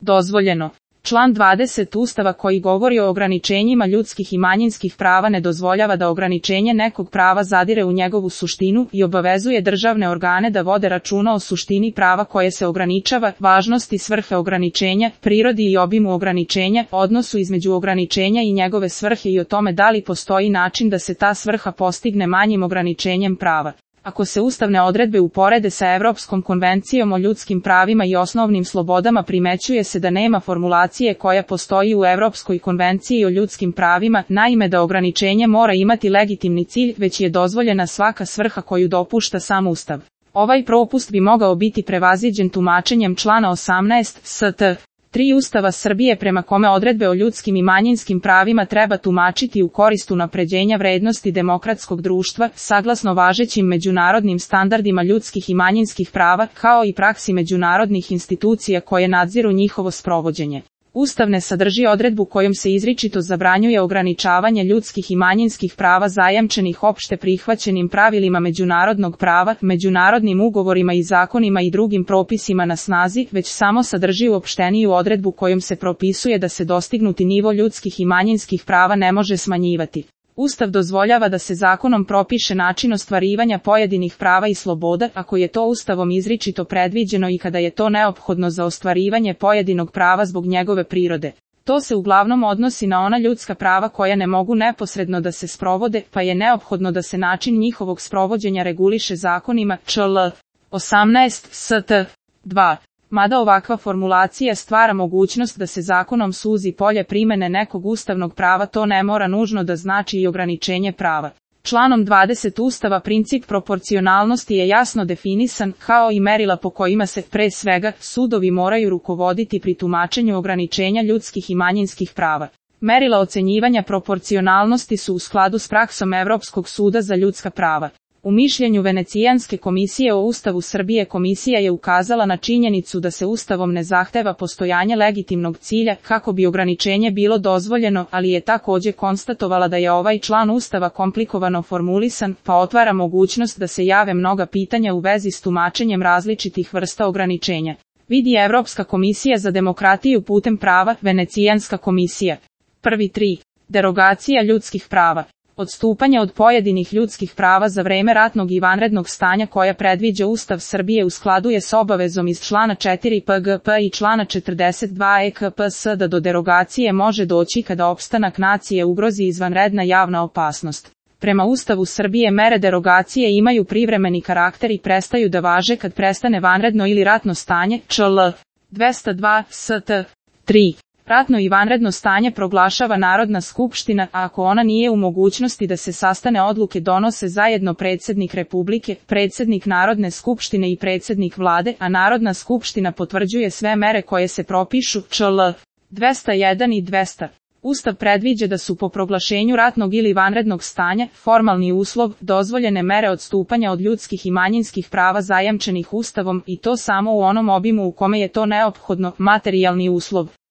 dozvoljeno. Član 20 Ustava koji govori o ograničenjima ljudskih i manjinskih prava ne dozvoljava da ograničenje nekog prava zadire u njegovu suštinu i obavezuje državne organe da vode računa o suštini prava koje se ograničava, važnosti svrhe ograničenja, prirodi i obimu ograničenja, odnosu između ograničenja i njegove svrhe i o tome da li postoji način da se ta svrha postigne manjim ograničenjem prava. Ako se ustavne odredbe uporede sa Evropskom konvencijom o ljudskim pravima i osnovnim slobodama, primećuje se da nema formulacije koja postoji u Evropskoj konvenciji o ljudskim pravima, naime da ograničenje mora imati legitimni cilj, već je dozvoljena svaka svrha koju dopušta sam Ustav. Ovaj propust bi mogao biti prevaziđen tumačenjem člana 18 st. 3 Ustava Srbije prema kome odredbe o ljudskim i manjinskim pravima treba tumačiti u korist unapređenja vrednosti demokratskog društva, saglasno važećim međunarodnim standardima ljudskih i manjinskih prava, kao i praksi međunarodnih institucija koje nadziru njihovo sprovođenje. Ustav ne sadrži odredbu kojom se izričito zabranjuje ograničavanje ljudskih i manjinskih prava zajamčenih opšte prihvaćenim pravilima međunarodnog prava, međunarodnim ugovorima i zakonima i drugim propisima na snazi, već samo sadrži uopšteniju odredbu kojom se propisuje da se dostignuti nivo ljudskih i manjinskih prava ne može smanjivati. Ustav dozvoljava da se zakonom propiše način ostvarivanja pojedinih prava i sloboda, ako je to Ustavom izričito predviđeno i kada je to neophodno za ostvarivanje pojedinog prava zbog njegove prirode. To se uglavnom odnosi na ona ljudska prava koja ne mogu neposredno da se sprovode, pa je neophodno da se način njihovog sprovođenja reguliše zakonima, čl. 18 st. 2. Mada ovakva formulacija stvara mogućnost da se zakonom suzi polje primene nekog ustavnog prava, to ne mora nužno da znači i ograničenje prava. Članom 20 Ustava princip proporcionalnosti je jasno definisan, kao i merila po kojima se, pre svega, sudovi moraju rukovoditi pri tumačenju ograničenja ljudskih i manjinskih prava. Merila ocenjivanja proporcionalnosti su u skladu s praksom Evropskog suda za ljudska prava. U mišljenju Venecijanske komisije o Ustavu Srbije komisija je ukazala na činjenicu da se Ustavom ne zahteva postojanje legitimnog cilja kako bi ograničenje bilo dozvoljeno, ali je takođe konstatovala da je ovaj član Ustava komplikovano formulisan, pa otvara mogućnost da se jave mnoga pitanja u vezi s tumačenjem različitih vrsta ograničenja. Vidi Evropska komisija za demokratiju putem prava, Venecijanska komisija. 1.3. Derogacija ljudskih prava. Odstupanje od pojedinih ljudskih prava za vreme ratnog i vanrednog stanja koja predviđa Ustav Srbije u skladu je s obavezom iz člana 4 PGP i člana 42 EKPS da do derogacije može doći kada opstanak nacije ugrozi izvanredna javna opasnost. Prema Ustavu Srbije mere derogacije imaju privremeni karakter i prestaju da važe kad prestane vanredno ili ratno stanje, čl. 202 st. 3. Ratno i vanredno stanje proglašava Narodna skupština, a ako ona nije u mogućnosti da se sastane, odluke donose zajedno predsjednik Republike, predsjednik Narodne skupštine i predsjednik vlade, a Narodna skupština potvrđuje sve mere koje se propišu, čl. 201 i 200. Ustav predviđa da su po proglašenju ratnog ili vanrednog stanja, formalni uslov, dozvoljene mere odstupanja od ljudskih i manjinskih prava zajamčenih Ustavom, i to samo u onom obimu u kome je to neophodno, materijalni uslov.